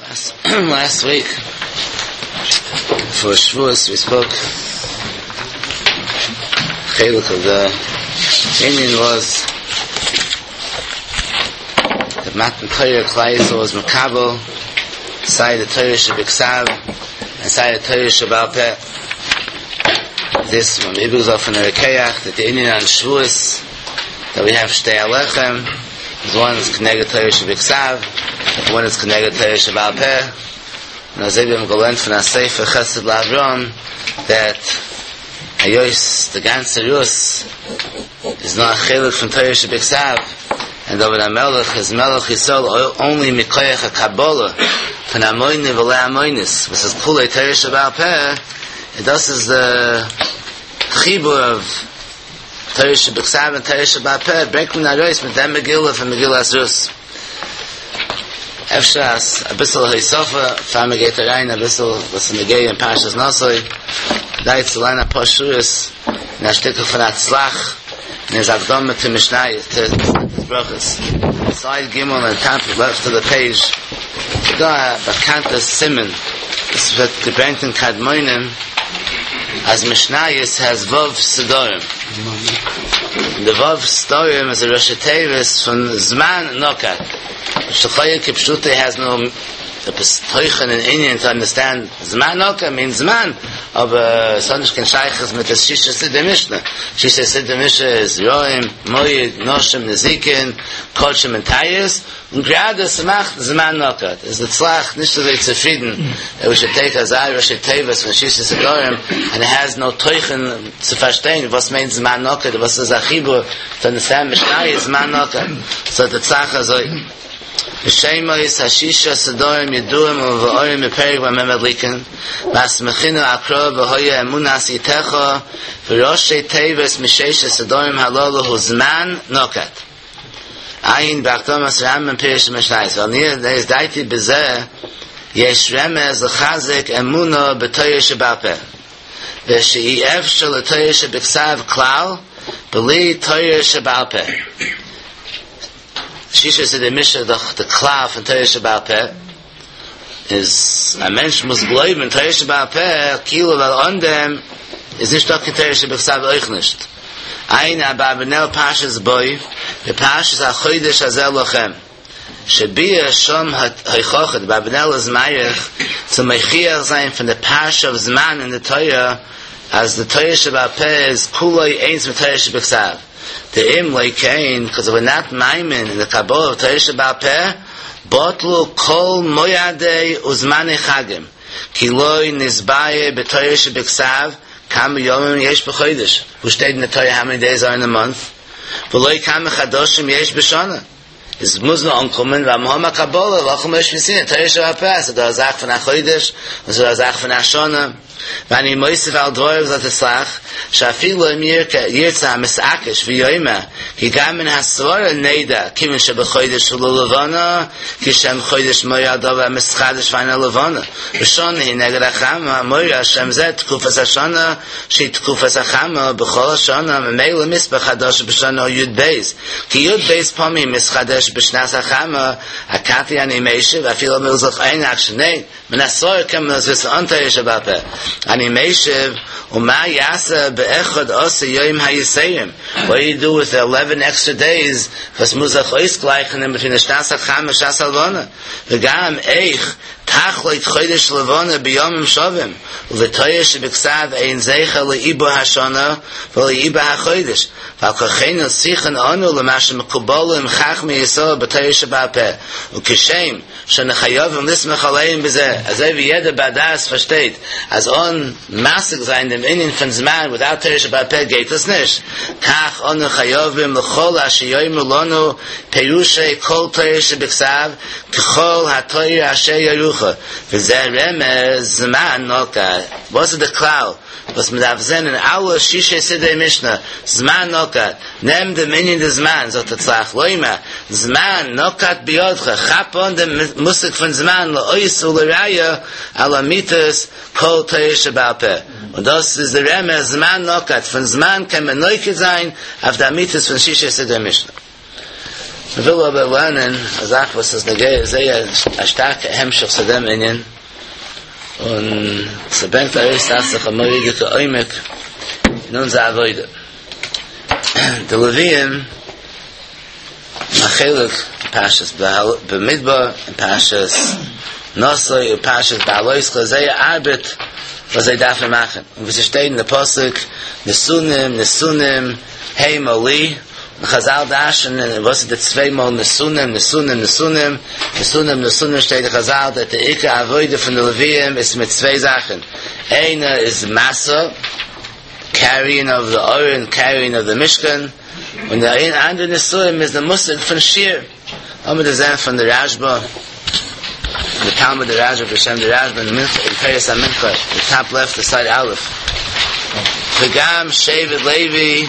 Last week for Shavuos we spoke chelik of the Indian was the Matan Torah Klal Yisrael was Makabel side the Torah Shebiksav and side the Torah Shebal Peh. This from Ibuzah from the Rekeach that the Indian on Shavuos that we have Shtei Alechem one is Kneged Torah Shebiksav, one is Kneged Torah Shebal Peh. And as Abraham gelernt von a Sefer Chesed LaAvram that Hayois, the ganze Rus, is not a chelik from Torah Shebiksav, and David HaMelech is Melech Yisrael only Mikoyach HaKabbalah von Amoyne v'le Amoynis, which is Kulei Torah Shebal Peh, and thus is the chibur of Torah Shebiksav and Torah Shebal Peh, bringt man Arois mit dem Megillah von Megillas Rus. Efshas, a bissel Heisofa, fahr mir geht rein, a bissel, was in der Gehe in Parshas Nosoi, da jetzt allein a paar Schuhes, in a Stücke von Atzlach, in his Akdome to Mishnai, to Brachas. Side Gimel and top left of the page, da bekannte Simon, das wird gebrannt in Kadmonim, as Mishnayis has Vav Sidorim. The Vav Sidorim is a Rosh Tevis from Zman Nokat. Shechaya Kipshute has no Teuchen in Indian to understand Zman Noka means Zman of a Sonnish Ken Shaykhs mit the Shisha Siddur Mishnah. Shisha Siddur Mishnah is Roim, Moyed, Noshim, Nezikin, Kodshim and Tayis. Und gerade es macht Zman Nokat. Is the Tzlach nicht so very zufrieden that we should take Azai Rosh Tevis from Shisha Siddurim and it has no Teuchen zu verstehen was means Zman Nokat, was is a Chibur to understand Mishnah is Zman Nokat. So the Tzlach is like B'shemois hashisha sedorim yeduim u'v'orim b'perik b'memedlikin v'asmechinu akro v'hoya emunas itecha v'roshe teves m'sheisha sedorim halolu hu zman nokat Ayin b'achdomas Rambam pirish mishnayis v'alnir neis daiti b'zeh yesh remez l'chazik emuna b'toyer shebal peh v'she'i efshel l'toyer shebiksav klal b'li toyer shebal peh Shisha said the Mishnah, the, the Klaf in Torah Shabbat Peh, is a mensch muss glauben in Torah Shabbat Peh, kilo vel on dem, is nicht doch in Torah Shabbat euch nicht. Ein Abarbanel Pashas Boy, the Pashas HaChodesh Hazel Lochem. Shebia Shom HaYchochet, Abarbanel is Mayach, to Mechiach sein from the Pasha of Zman in the Torah, as the Torah Shabbat Peh is Kuloi Eins mit Torah Shabbat The im leikein, because we're not maimin in the Kabbalah of Torah Shabbat Peh, botlu kol moyadei uzmani chagim, ki loy nizbaye b'Torah shebiksav, kam yomim yesh b'chodesh. Who stayed in the Torah how many days are in the month? V'loy kam chadoshim yesh b'shana. Is muzna ankommen v'amhama Kabbalah lachem yesh v'sin Torah Shabbat Peh. So da zach von achodesh, so da zach von ashana. ואני מוסיף על דבוריו זאת אסלח, שאפילו אם ירצה המסעקש ויאמר, כי גם מן הסברה נדע, כיוון שבחודש הוא לא לבנה, כי שם חודש מויר על דבר המסחדש ואינה לבנה. ראשון היא נגד החמה, מויר השם זה תקופת השנה, שהיא תקופת החמה בכל השנה, ממילא מספר חדש בשנה י' בייס. כי י' בייס פעמים מסחדש בשנת החמה, הכתי אני משיב, אפילו מלזך אין רק שני, מן הסברה כמה זה אנטי שבפה. אני meishev uma yasa be'echad asa yoyim hayiserim. What do you do with the 11 extra days? Was muzach oisgleichen in between the shnas hacham and shnas halvana. V'gam eich tachloit chodesh levana b'yomim shovim. U'v'toyer shebiksav ein zeicha le'ibo hashana v'le'ibo hachodesh. V'al sichan anu l'mashem mekubolim chachmi yisrael b'toyer sheba'peh. U'kishem שנחייבים לסמך עליהם בזה. אז wie jeder Badass versteht, als on massig sein dem Inin von Zman without Torah Shabbat Peh geht es nicht. Kach on chayovim l'chol asher yoymu lonu perushe kol Torah shebiksav k'chol ha'Torah asher yarucha. V'zeh remez Zman noka. Was the klal? Was mit darf sehen in alle Shishe Sidei Mishnah, Zman Nokat, nem dem Inyan des Zman, sagt der Tzlach, Loima, Zman Nokat biyodcha, chap on dem Musik von Zman, la'ois u'l'raya, ala mitas, kol Torah Sheba'al Peh. Und das ist der Reme, Zman Nokat, von Zman kann man neuke sein, auf der Mitas von Shishe Sidei Mishnah. מ'וויל אבער לערנען א זאך וואס איז נוגע זייער א שטארקע המשך צו דעם ענין, און ס'ברענגט ארויס דאכט זיך א מורא'דיגע עומק אין אונזער עבודה. די לוויים א חלק פרשת במדבר און פרשת נשא און פרשת בהעלותך זייער ארבעט וואס זיי דארפן מאכן, און ווי ס'שטייט אין די פסוק נתונים נתונים המה לי, און חזל דרש'נען וואס איז די צוויי מאל נתונים נתונים נתונים נתונים נתונים שטייט אין חזל דעט די עיקר עבודה פון די לוויים איז מיט צוויי זאכן איינע איז משא קעריען אוו די ארון קעריען אוו די משכן און די אנדערע נשואים איז די מושג פון שיר לאמיר דאס זען פון די רשבא די תלמיד די רשבא בשם די רשבא אין מנחה אין תורת המנחה די טאפ לעפט די סייד א' וגם שבט לוי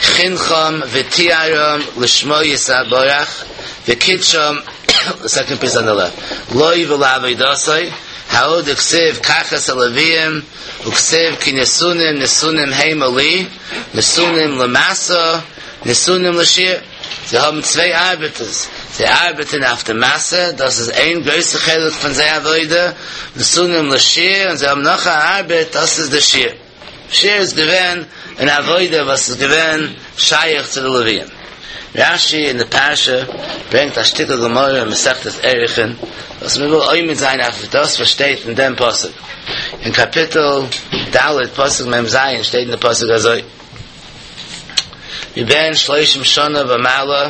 חנכם וטיהרם לשמו יתברך וקידשם די סעקאנד פיס אן די לעפט לו ולעבודתו ההוא דכתיב קח את הלוויים וכתיב כי נתונים נתונים המה לי נתונים למשא נתונים לשיר זיי האבן צוויי ארבעטערס, זיי ארבעטן אויף די משא, דאס איז איין גרויסע חלק פון זייער עבודה, נתונים לשיר, און זיי האבן נאך א ארבעט, דאס איז די שיר. שיר איז געווען אן עבודה וואס איז געווען שייך צו די לוויים. רשי אין די פרשה ברענגט א שטיקל גמרא אין מסכת ערכין, וואס מען וויל עומד זיין אויף דאס וואס שטייט אין דעם פסוק. אין קאפיטל ד' פסוק מ ז שטייט אין די פסוק אזוי. מבן שלושים שנה ומעלה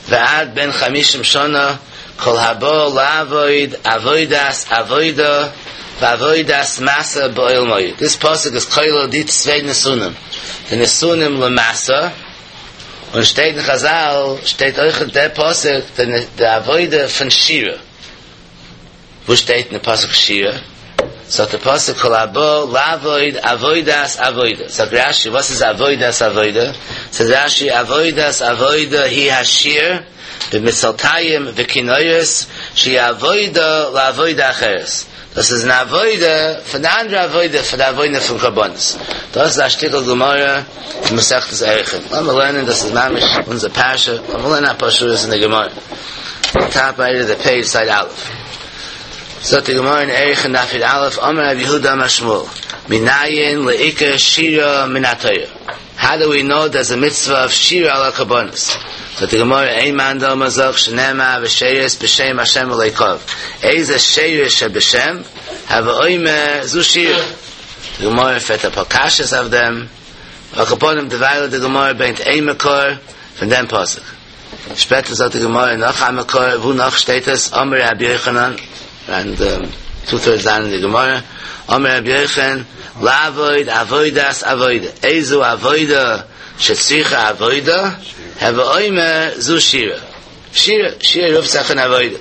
ועד בן חמישים שנה כל הבא לעבוד עבודת עבודה ועבודת משא באוהל מועד. דיס פסוק איז כולל די צוויי נתונים, די נתונים למשא, און שטייט אין חזל שטייט אויך אין דער פסוק די עבודה פון שירה. וואו שטייט אין די פסוק שירה? זאגט די פסוק כל הבא לעבוד עבודת עבודה, זאגט רשי וואס איז עבודת עבודה? זאגט רשי עבודת עבודה היא השיר במצלתיים וכינורות שהיא עבודה לעבודה אחרת, דאס איז אן עבודה פון די אנדערע עבודה פון די עבודה פון קרבנות, דאס איז א שטיקל גמרא אין מסכת ערכין, לאמיר לערנען דאס איז ממש אונזער פרשה, לאמיר לערנען אפאר שורות אין די גמרא. טאפ רייט אוו די פעידזש סייד א'. זאגט די גמרא אין ערכין דף י א, אמר רב יהודה אמר שמואל, מנין לעיקר שירה מן התורה? האו דו ווי נאו דערס א מצוה אוו שירה על הקרבנות? זאגט די גמרא איין מאן דאמר זאגט שנאמר ושרת בשם השם אלוקיו, איזה שרת שבשם, הוי אומר זו שירה. די גמרא פרעגט אפאר קשיות אויף דעם, על כל פנים דערווייל די גמרא ברענגט איין מקור פון דעם פסוק. שפעטער זאגט די גמרא נאך א מקור, וואו נאך שטייט עס? אמר רבי יוחנן, און טו טוירדס דאון אין די גמרא, אמר רבי יוחנן, לעבוד עבודת עבודה, איזו עבודה שצריכה עבודה, הוי אומר זו שירה. שירה, שירה רופט זיך אן עבודה.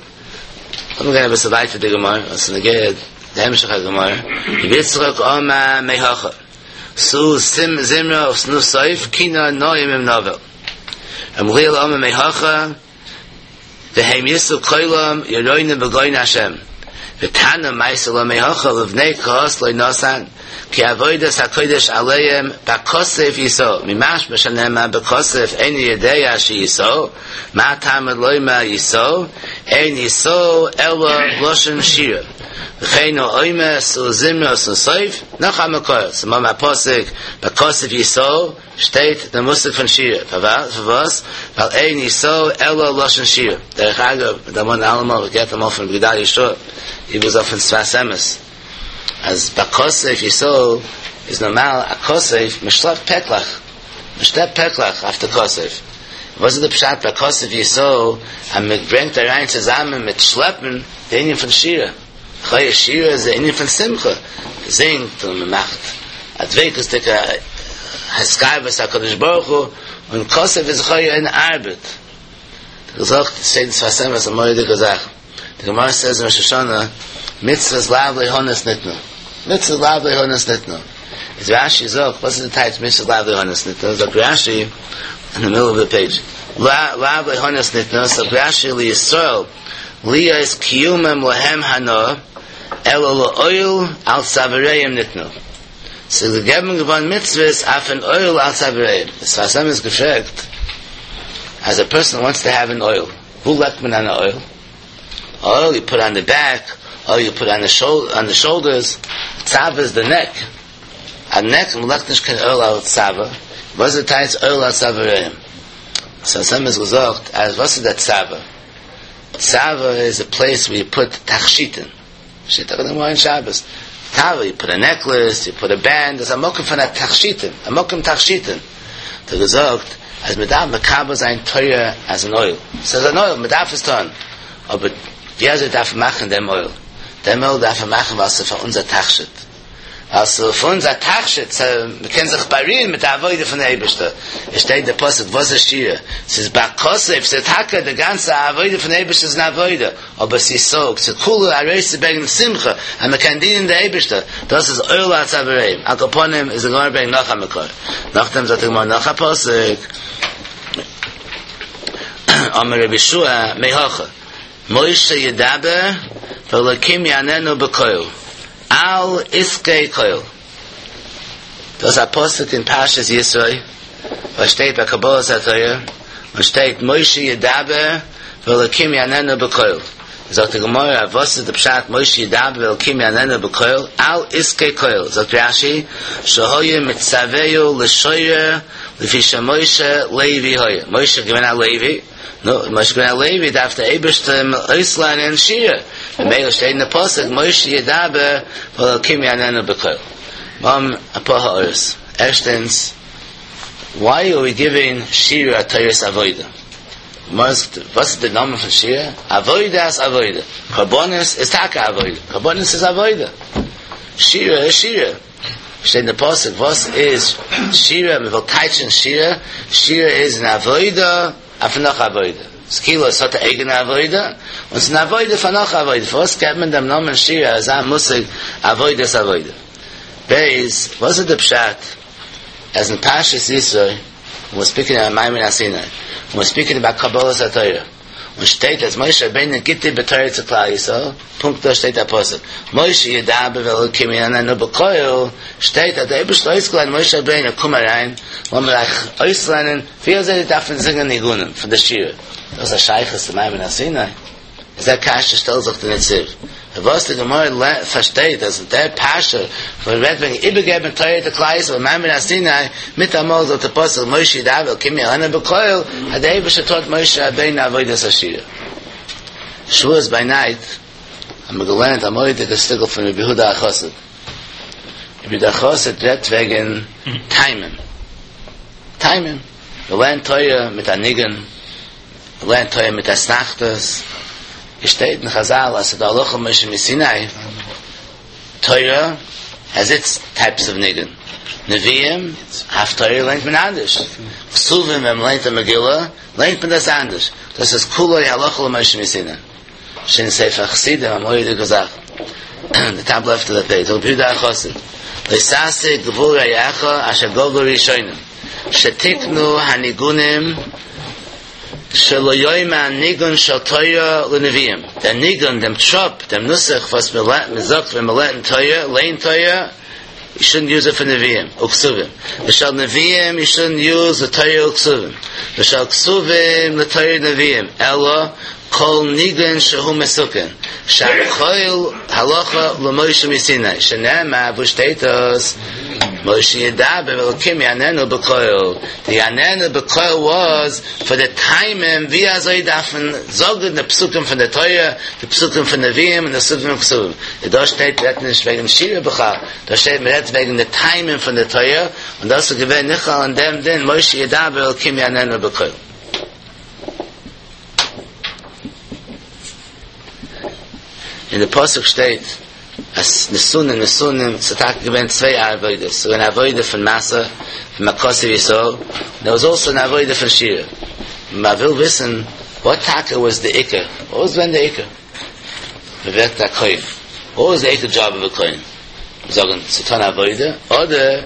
לאמיר גיין אביסל ווייטער די גמרא, וואס איז נוגע די המשך הגמרא, רבי יצחק אמר מהכא, שאו זמרה ושנו סוף, כינור נעים עם נבל. ר' גמליאל אמר מהכא והם ישאו קולם ירננו בגאון השם ותנא מייתי לה מהכא לבני קהת לא נתן כי עבודת הקודש עליהם בכתף ישאו ממשמע שנאמר בכתף איני יודע שישאו מה תלמוד לומר ישאו אין ישאו אלא לשון שירה וכן הוא אומר שאו זמרה ושנו סוף נאך א מקור ס'איז א פסוק בכתף ישאו שטייט דער מושג פון שירה, פארוואס? ווייל אין ישאו אלא לשון שירה. דרך אגב, מען דערמאנט אלעמאל, איך געהערט אמאל פון רבי גדליה שור, הי וואס אויפן שפת אמת, אז בכתף ישאו איז נארמאל א כתף, מען שלעפט פעקלעך, מען שלעפט פעקלעך אויף די כתף. וואס איז די פשט בכתף ישאו אז מען ברענגט אריין צוזאמען מיט שלעפן די ענין פון שירה? לכאורה שירה איז די ענין פון שמחה, מען זינגט און מען מאכט א דביקות'דיגע התקרבות הקדוש ברוך הוא, און כתף איז לכאורה אן ארבעט. געזאגט שטייט אין שפת אמת א מורא'דיגע זאך, די גמרא סעז אין ראש השנה מצוות לאו ליהנות ניתנו, מצוות לאו ליהנות ניתנו, איז רשי זאגט וואס איז די טייטש מצוות לאו ליהנות ניתנו, זאגט רשי אין די מידל אוו די פעידזש, לאו ליהנות ניתנו, זאגט רשי לישראל להיות קיומם להם הנאה, אלא לעול על צוואריהם ניתנו. ס'איז געגעבן געווארן מצוות אויף אן עול על צוואריהם. דער שפת אמת געפרעגט. אז א פערסאן וואנטס טו העוו אן אוהל, וואו לייגט מען אן אוהל? אוהל יו פוט אן די בעק, אר יו פוט אן די שאולדערס, צווא איז די נעק, א נעק מען לייגט נישט קיין אוהל על צווא, וואס איז די טייטש אוהל על צוואריהם? שפת אמת געזאגט אז וואס איז די צווא? צווא איז א פלעיס ווי יו פוט תכשיטין, שטייט דאך אין די גמרא אין שבת, צווא יו פוט א נעקלעס, יו פוט א בענד, דאס איז א מקום פון א תכשיטין, א מקום תכשיטין, האט ער געזאגט אז מען דארף מקבל זיין תורה אז אן עול, ס'איז אן עול, מען דארף עס טון, אבער ווי אזוי דארף מען מאכן דעם עול? דעם עול דארף מען מאכן ווייל ס'איז פאר אונז א תכשיט. ווייל ס'איז פאר אונז א תכשיט, מ'קען זיך בארימען מיט די עבודה פון די אייבערשטער, עס שטייט די פסוק וואס איז שירה? ס'איז בכתף, ס'איז טאקע די גאנצע עבודה פון די אייבערשטער איז אן עבודה, אבער ס'איז סוג, ס'איז כולו ארויסצוברענגען שמחה אז מ'קען דינען די אייבערשטער, דאס איז אוהל על צואריהם, על כל פנים איז די גמרא ברענגט נאך א מקור, נאכדעם זאגט די גמרא נאך א פסוק, אמר רבי יהושע מהכא, משה ידבר ואלוקים יעננו בקול, על עסקי כל. דאס איז א פסוק אין פרשת יתרו, וואס שטייט ביי קבלת התורה, און שטייט משה ידבר ואלוקים יעננו בקול. זאגט די גמרא, וואס איז די פשט משה ידבר ואלוקים יעננו בקול, על עסקי כל, זאגט רש"י, שהיה מצווהו לשורר לפי שמשה לוי היה, משה איז געווען א לוי, נו, משה איז געווען א לוי, דארף דער אייבערשטער אים אויסלערנען שירה, ממילא שטייט אין די פסוק משה ידבר והאלקים יעננו בקול. מ'האבן אפאר הערות. ערשטענס, וואי אר ווי גיווינג שירה א תורת עבודה? וואס איז די נאמען פון שירה? עבודת עבודה. קרבנות איז טאקע עבודה, קרבנות איז עבודה. שירה איז שירה. שטייט אין די פסוק וואס איז שירה, מען וויל טייטשען שירה, שירה איז אן עבודה אויף נאך עבודה, ס'איז כאילו עס האט א אייגענע עבודה, און ס'איז אן עבודה פאר נאך עבודה, פארוואס געבט מען דעם נאמען שירה אזא מושג עבודת עבודה? ב' וואס איז די פשט אז אין פרשת יתרו, ווען ספיקינג אבאוט מעמד הר סיני, ווען ספיקינג אבאוט קבלת התורה, און שטייט אז משה רבינו גיט איבער תורה צו כלל ישראל, פונקט דא שטייט א פסוק, משה ידבר ואלוקים יעננו בקול, שטייט אז דער אייבערשטער האט אויסגעלערנט משה רבינו קום אריין, לאמיר אייך אויסלערנען ווי אזוי דארף מען זינגען ניגונים פון די שירה, דאס א שייכות צו מעמד הר סיני? איז דער קשיא שטעלט זיך די נציב, וואס די גמרא פארשטייט אז דער פרשה וואס רעדט וועגן איבערגעבן תורה צו כלל ישראל מעמד הר סיני, מיטאמאל זאגט דער פסוק משה ידבר ואלקים יעננו בקול, אז דער אייבערשטער טוט משה רבינו עבודת השירה. שבועות ביי נייט האבן מיר געלערנט א מורא'דיגע שטיקל פון רבי יהודה החסיד. רבי יהודה החסיד רעדט וועגן טעמים. טעמים. מ'לערנט תורה מיט א ניגון. מ'לערנט תורה מיט אתנחתות, עס שטייט אין חזל אז ס'דא הלכה למשה מסיני, תורה העז איטס טייפס אוו ניגון, נביאים, הפטורה לערנט מען אנדערש, כתובים ווען מ'לערנט א מגילה לערנט מען דאס אנדערש, דאס איז כולו הלכה למשה מסיני, שטייט אין ספר חסידים א מורא'דיגע זאך, די טאפ לעפט אוו די פעידזש, רבי יהודה החסיד, לא תסיג גבול רעך אשר גבלו ראשונים. שתיקנו הניגונים שלא יאמר ניגון של תורה לנביאים, דער ניגון, דעם טראפ, דעם נוסח וואס מען זאגט ווען מען לערנט תורה, ליינט תורה, יו שודנט יוז איט פאר נביאים וכתובים, ושל נביאים יו שודנט יוז לתורה וכתובים, ושל כתובים לתורה ונביאים, אלא כל ניגון שהוא מתוקן, שהכל הלכה למשה מסיני, שנאמר, וואו שטייט דאס? משה ידבר ואלקים יעננו בקול, די יעננו בקול וואס פאר די טעמים ווי אזוי דארף מען זאגן די פסוקים פון די תורה, די פסוקים פון נביאים און די פסוקים פון כתובים, און דא שטייט רעדט מען נישט וועגן שירה בכלל, דא שטייט מען רעדט וועגן די טעמים פון די תורה, און דאס איז געווען נכלל אין דעם דין משה ידבר ואלקים יעננו בקול. אין די פסוק שטייט אז נתונים נתונים ס'איז טאקע געווען צוויי עבודות, ס'איז געווען א עבודה פון משא פון מכתב ישראל, און דער וואס אלסא אן עבודה פון שירה. מען וויל וויסן וואט טאקע וואס די עיקר, וואט וואס געווען די עיקר? מען ווערט א כהן, וואט וואס די עיקר דזשאב אוו א כהן? זאגן צו טון עבודה, אדער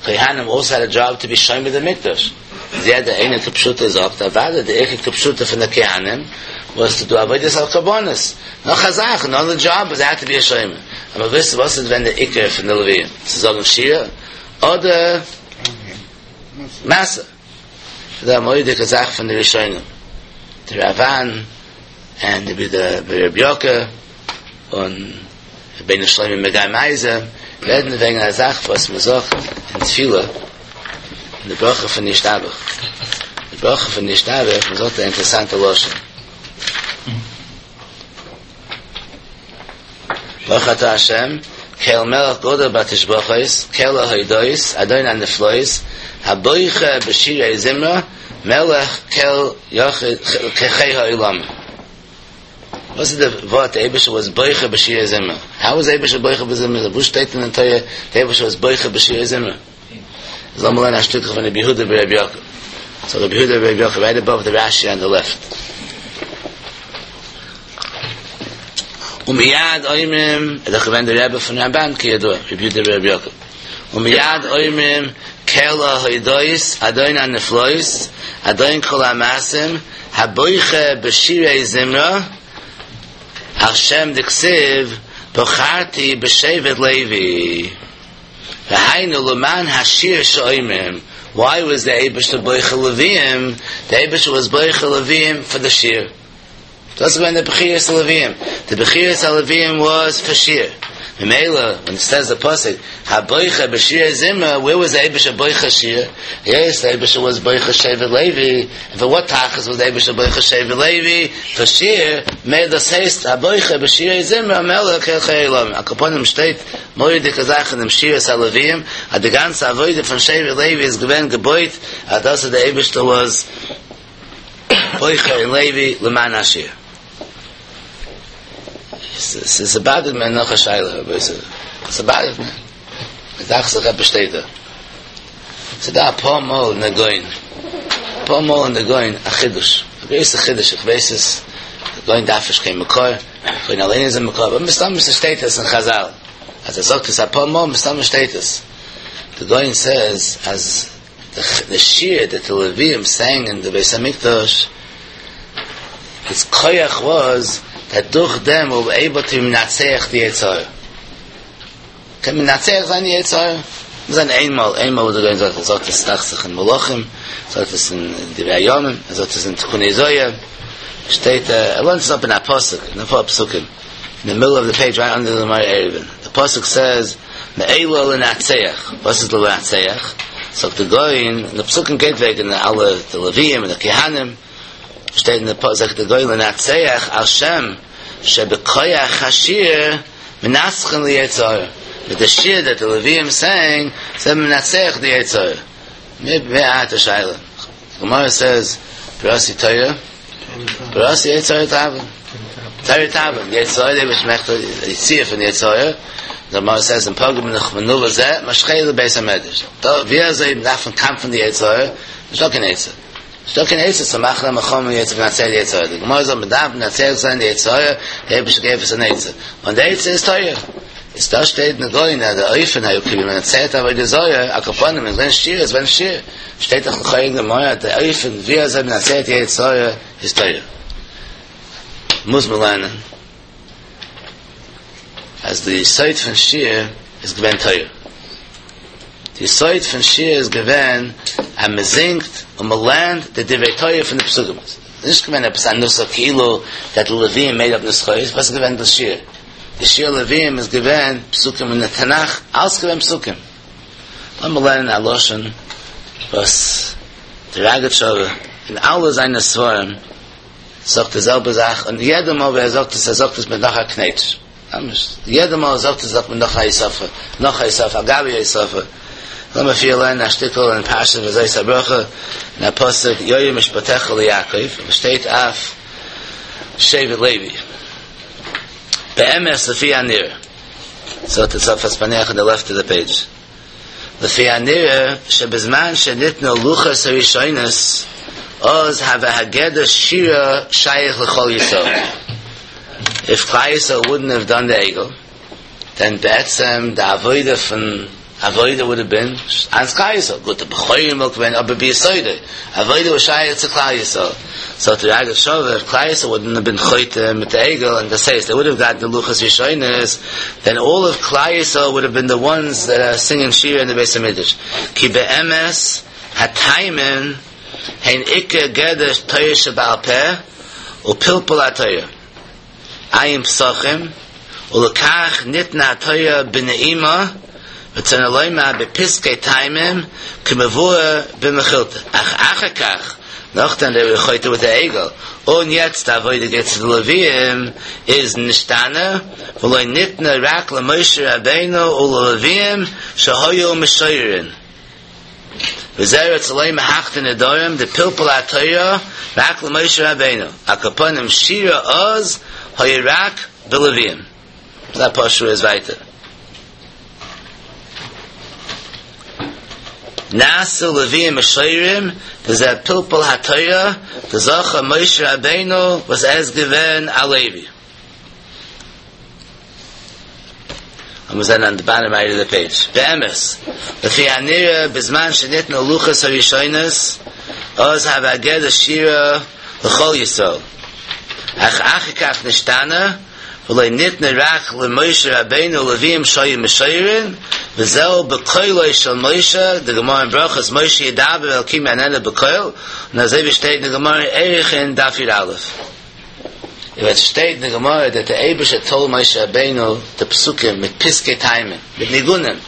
כהנים אלסא העד א דזשאב טו בי שומר די מקדש, איז יעדער איינער כפשוטו זאגט אוודאי די עיקר כפשוטו פון די כהנים וואס טו דו עבודת הקרבנות, נאך א זאך אנאדער דזשאב וואס זיי העד טו בי א שומר, אבער וויסן וואס איז געווען די עיקר פון די לוויים, צו זאגן שירה אדער משא. ס'איז דא א מורא'דיגע זאך פון די ראשונים, די ראב"ן און די רבי יעקב און רבינו שלמה מגיא מייזער רעדן וועגן א זאך וואס מען זאגט אין תפילה אין די ברכה פון ישתבח, די ברכה פון ישתבח, מען זאגט א אינטערעסאנטע לשון. ברוך אתה ה', קל מלך גדול בתשבחות, קל ההודאות, אדון הנפלאות, הבוחר בשירי זמרה, מלך קל יחיד חי העולמים. וואס איז די ווארט די אייבערשטער וואס בוחר בשירי זמרה? האו איז די אייבערשטער בוחר בזמרה? וואו שטייט אין די תורה די אייבערשטער וואס בוחר בשירי זמרה? איז לאמיר לערנען א שטיקל פון רבי יהודה ברבי יעקב. סאו רבי יהודה ברבי יעקב רייט אבאוו די רש"י אן די לעפט. ומיד אומרים, ער איז דאך געווען די רבי פון רמב"ן כידוע, רבי יהודה ברבי יעקב. ומיד אומרים קל ההודאות אדון הנפלאות אדון כל המעשים הבוחר בשירי זמרה על שם דכתיב בחרתי בשבט לוי. והיינו למען השיר שאומרים, why was the אייבערשטער בוחר לוויים, די אייבערשטער was בוחר לוויים פאר די שיר, דאס איז געווען די בחירת הלוויים, די בחירת הלוויים was פאר שיר, ממילא ווען עס סעז די פסוק הבוחר בשירי זמרה, ווער was די אייבערשטער בוחר שיר, יעס די אייבערשטער was בוחר שבט לוי, און פאר וואט תכלית was די אייבערשטער בוחר שבט לוי, פאר שיר, ממילא דאס הייסט הבוחר בשירי זמרה מלך קל חי העולמים, על כל פנים שטייט מורא'דיגע זאך אין דעם שירת הלוויים, אז די גאנצע עבודה פון שבט לוי איז געווען געבויט אז דאס איז די אייבערשטער וואס בוחר אין לוי למען השיר. ס'באדערט מיר נאך א שאלה רבותי, ס'באדערט מיר, ס'דאכט זיך עפעס שטייט דא, ס'דא אפאר מאל אין די גאון, אפאר מאל אין די גאון א חידוש, א גרויסע חידוש, איך ווייס עס, די גאון דארף נישט קיין מקור, גאון אליין איז א מקור, אבער מסתמא ס'שטייט עס אין חזל, אז ער זאגט עס אפאר מאל מסתמא שטייט עס. די גאון סעז אז די שיר דעט די לווים סענג אין די בית המקדש, איטס כח וואס דעט דורך דעם ווער עיבל טו מנצח די יצר הרע. קען מנצח זיין די יצר הרע. זיין איינמאל, איינמאל וואס די גאון זאגט, ער זאגט עס דאכט זיך אין מלכים, זאגט עס אין דברי הימים, ער זאגט עס אין תיקוני זוהר. שטייט ער לערנט עס אפ אין א פסוק, אין אפאר פסוקים, אין די מידל אוו די פעידזש רייט אנדער די גמרא עירובין, די פסוק סעז מאלה לנצח, וואס איז לנצח? זאגט די גאון, די פסוקים גייט וועגן אלע די לוויים און די כהנים, שטייט אין די פסוק זאגט די גאון לנצח על שם שבכח השיר מנצחין ליצר הרע, מיט די שיר דעט די לוויים סענג זענען מנצח די יצר הרע, מיר האט א שאלה, גמרא סעז בראתי תורה בראתי יצר הרע תאבון תורה תאבון יצר הרע וואס מאכט די יציאה פון יצר הרע די גמרא סעז אם פגע בך מנוול זה משכהו לבית המדרש דא ווי אזוי דארף מען קאמפן די יצר הרע נישטא קיין עצה נישטא קיין עצה צו מאכן א מלחמה מיט יצר מנצח די יצר הרע די גמרא זאגט מען דארף מנצח זיין די יצר הרע די אייבערשטער געבט אונז אן עצה און די עצה איז תורה איז דא שטייט אין גאון אז די אופן היו כאילו מנצח עבודה זרה על כל פנים איז ווען שיר איז ווען שיר שטייט דאך לכאורה אין גמרא אז די אופן ווי אזוי מנצח די יצר הרע איז תורה. מוז מען לערנען אז די יסוד פון שיר איז געווען תורה. די יסוד פון שיר איז געווען אז מען זינגט און מען לערנט די דברי תורה פון די פסוקים. ס'איז נישט געווען עפעס א נוסח כאילו דעט די לווים מעיד אפ נוסחאות, וואס איז געווען דאס שיר? די שיר לווים איז געווען פסוקים אין די תנך, אלס געווען פסוקים. לאמיר לערנען א לשון וואס די ראגאטשאווער אין אלע זיינע ספרים זאגט די זעלבע זאך, און יעדע מאל ווען ער זאגט עס, ער זאגט עס מיט נאך א קנעטש. ממש, יעדע מאל ער זאגט עס זאגט מען נאך א הוספה, נאך א הוספה, על גבי הוספה. לאמיר פריער לערנען א שטיקל אין פרשת וזאת הברכה, אין א פסוק, יאיר משפטיך ליעקב, וואס שטייט אויף שבט לוי. באמת לפי הנראה. זאגט דער צפנת פענח אן די לעפט אוו די פעידזש. לפי הנראה שבזמן שניתנו לוחות הראשונות אז הוה הגדר שירה שייך לכל ישראל. איף כלל ישראל וואודנט האוו דאן די עגל, דען בעצם די עבודה פון עבודה וואוד האוו בין אן כלל ישראל, גוט די בכורים וואלט געווען אבער ביסודו עבודה וואס שייך צו כלל ישראל, זאגט די ראגאטשאווער איף כלל ישראל וואודנט האוו בין חוטא מיט די עגל און דאס הייסט דעי וואוד האוו גאט די לוחות ראשונות דען אלל אוו כלל ישראל וואוד האוו בין די וואנס דעט אר סינגינג שירה אין די בית המקדש כי באמת הטעמים. הן עיקר גדר תורה שבעל פה ופלפול התורה. עיין פסחים, ולכך ניתנה התורה בנעימה, רצונו לומר בפסקי טעמים כמבואר במכילתא, אך אחר כך, נאכדעם דעי ווער חוטא וויט די עגל, און יעצט די עבודה גייט צו די לוויים, איז נשתנה, ולא ניתנה רק למשה רבינו וללוויים שהיו משוררין. וזה רצה לומר הכתר נדרים דפלפול התורה רק למשה רבינו, על כל פנים שירה אז היה רק בלוויים. זה אפאר שורות ווייטער. נעשו לוויים משוררים וזה פלפול התורה דזכה משה רבינו וואס ער איז געווען א לוי. און מיר זענען אן די באטאם רייט אוו די פעידזש. באמת, לפי הנראה בזמן שניתנו לוחות הראשונות, אז הוה גדר שירה לכל ישראל. אך אחר כך נשתנה, ולא ניתנה רק למשה רבינו ולוויים שהיו משוררין, וזהו בקולו של משה, די גמרא אין ברכות, משה ידבר ואלקים יעננו בקול, און אזוי ווי שטייט אין די גמרא אין ערכין דף י"א. און עס שטייט אין די גמרא דעט די אייבערשטער טאלד משה רבינו די פסוקים מיט פסקי טעמים מיט ניגונים,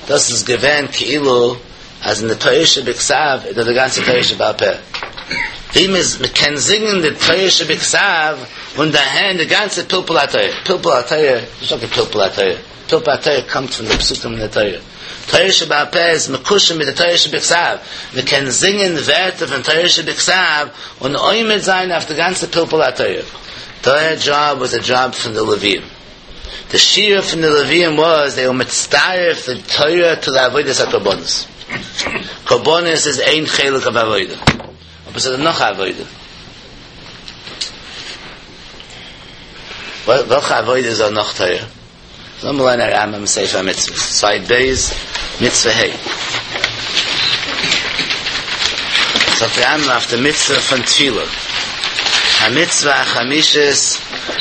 דאס איז געווען כאילו אז אין די תורה שבכתב איז דא די גאנצע תורה שבעל פה, ווי מען קען זינגען די תורה שבכתב און דערהערן די גאנצע פלפול התורה, פלפול התורה, נישט דוקא פלפול התורה, פלפול התורה קומט פון די פסוקים אין די תורה. תורה שבעל פה איז מקושר מיט די תורה שבכתב, מען קען זינגען ווערטער פון תורה שבכתב און עומד זיין אויף די גאנצע פלפול התורה. דעיר דזשאב וואס א דזשאב פון די לוויים. די שירה פון די לוויים וואס זיי ווער מצטרף די תורה טו די עבודת הקרבנות. קרבנות איז איין חלק אוו עבודה, אבער ס'איז דא נאך א עבודה. וועלכע עבודה איז דא נאך תורה? לאמיר לערנען א רמב"ם ספר המצוות, סייד ב', מצוה ה'. זאגט דער רמב"ם אויף די מצוה פון תפילה, המצוה החמישית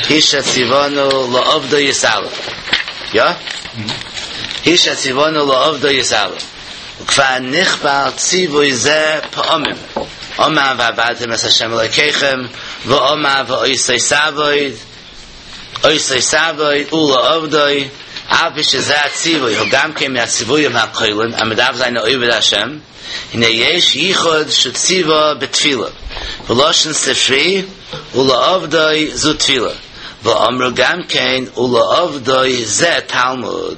היא שציוונו לעובדו יתעלה. יא? היא שציוונו לעובדו יתעלה. וכבר נכפל ציווי זה פעמים. אמר ועבדתם את ה' אלוקיכם, ואמר ואותו תעבוד. אותו תעבוד ולעובדו, אף על פי שזה הציווי הוא גם כן מהציוויים הכוללים אז מ'דארף זיין א עובד השם, הנה יש ייחוד שציווה בתפילה, ולשון ספרי ולעובדו זו תפילה, ואמרו גם כן ולעובדו זה תלמוד.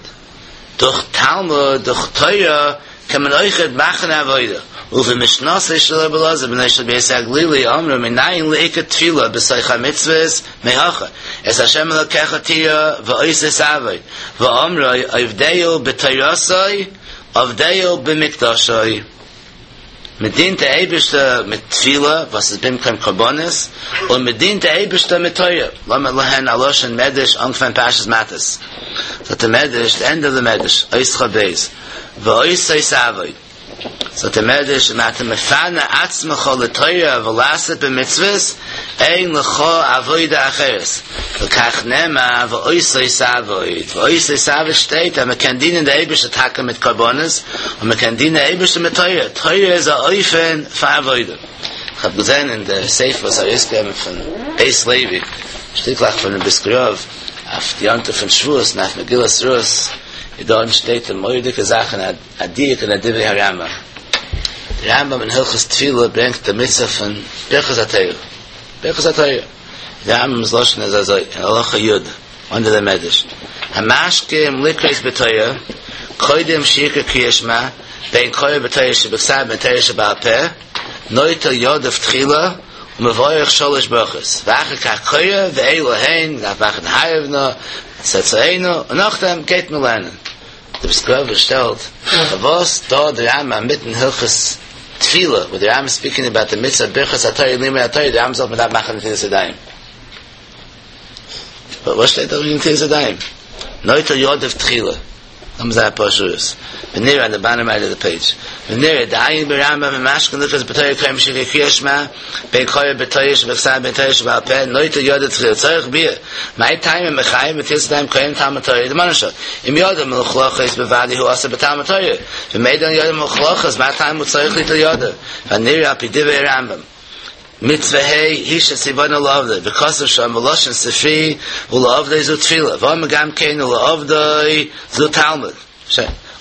דורך תלמוד, דורך תורה, קען מען אויכעט מאכן עבודה. ובמשנתו של רבי אלעזר בנו של רבי יוסי הגלילי אמרו מנין לעיקר תפילה בתוך המצוות מהכא את השם אלקיך תירא ואותו תעבוד ואמרו עובדהו בתורתו עובדהו במקדשו מען דינט די אייבערשטער מיט תפילה וואס איז במקום קרבנות, און מען דינט די אייבערשטער מיט תורה, לאמיר לערנען א לשון מדרש אנפאנג פרשת מטות, זאגט דער מדרש, די ענדע אוו די מדרש, אות כ"ב, ואותו תעבוד, זאגט דער מדרש, אם אתה מפנה עצמך לתורה ולעסוק במצוות, אין לך עבודה אחרת, לכך נאמר ואותו תעבוד, ואותו תעבוד שטייט אז מען קען דינען די אייבערשטער טאקע מיט קרבנות, און מען קען דינען די אייבערשטער מיט תורה, תורה איז א אופן פאר עבודה. איך האב געזען אין די ספר וואס ארויסגעגעבן פון בית לוי, שטיקלעך פונעם בריסקער רב אויף די יום טוב פון שבועות און אויף מגילת רות, איז דארטן שטייט די מורא'דיגע זאך און א דיוק אין א דברי הרמב"ם. די רמב"ם אין הלכות תפילה ברענגט די מצוה פון ברכת התורה. ברכת התורה. די רמב"ם'ס לשון איז אזוי, אין הלכה י', אנדער די מדרש, המשכים לקרות בתורה, קודם שיקרא קריאת שמע, בין קורא בתורה שבכתב בין תורה שבעל פה, נוטל ידיו תחילה, ומברך שלש ברכות, ואחר כך קורא, ואלו הן, דארף מאכן הערב נא, צאצאינו, און נאכדעם גייט מען לערנען. די בריסקער רב שטעלט פארוואס דא די רמב"ם מיטן הלכות תפילה וואו די רמב"ם ספיקינג אבאוט די מצוה ברכת התורה לימוד התורה די רמב"ם זאגט מען דארף מאכן נטילת ידיים וואס שטייט דא וועגן נטילת ידיים נוטל ידיו תחילה. לאמיר זען אפאר שורות. ונראה אן די באטאם רייט אוו די פעידזש. ונראה דעיין ברמב"ם במשכין לקרות בתורה קוראים שכרי קריאת שמע בין קורא בתורה שבכתב בין תורה שבעל פה נוטל ידיו תחילה צריך ביאור מאי טעמא מחייב בנטילת ידיים קודם תלמוד תורה דממה נפשך אם ידיו מלוכלכות בוודאי הוא אסור בתלמוד תורה ואם אינן ידיו מלוכלכות מה טעם הוא צריך ליטול ידיו והנראה על פי דברי הרמב"ם מצוה ה' היא שציוונו לעובדו, וכתוב שם בלשון ספרי ולעובדו זו תפילה, ואמר גם כן ולעובדו זו תלמוד,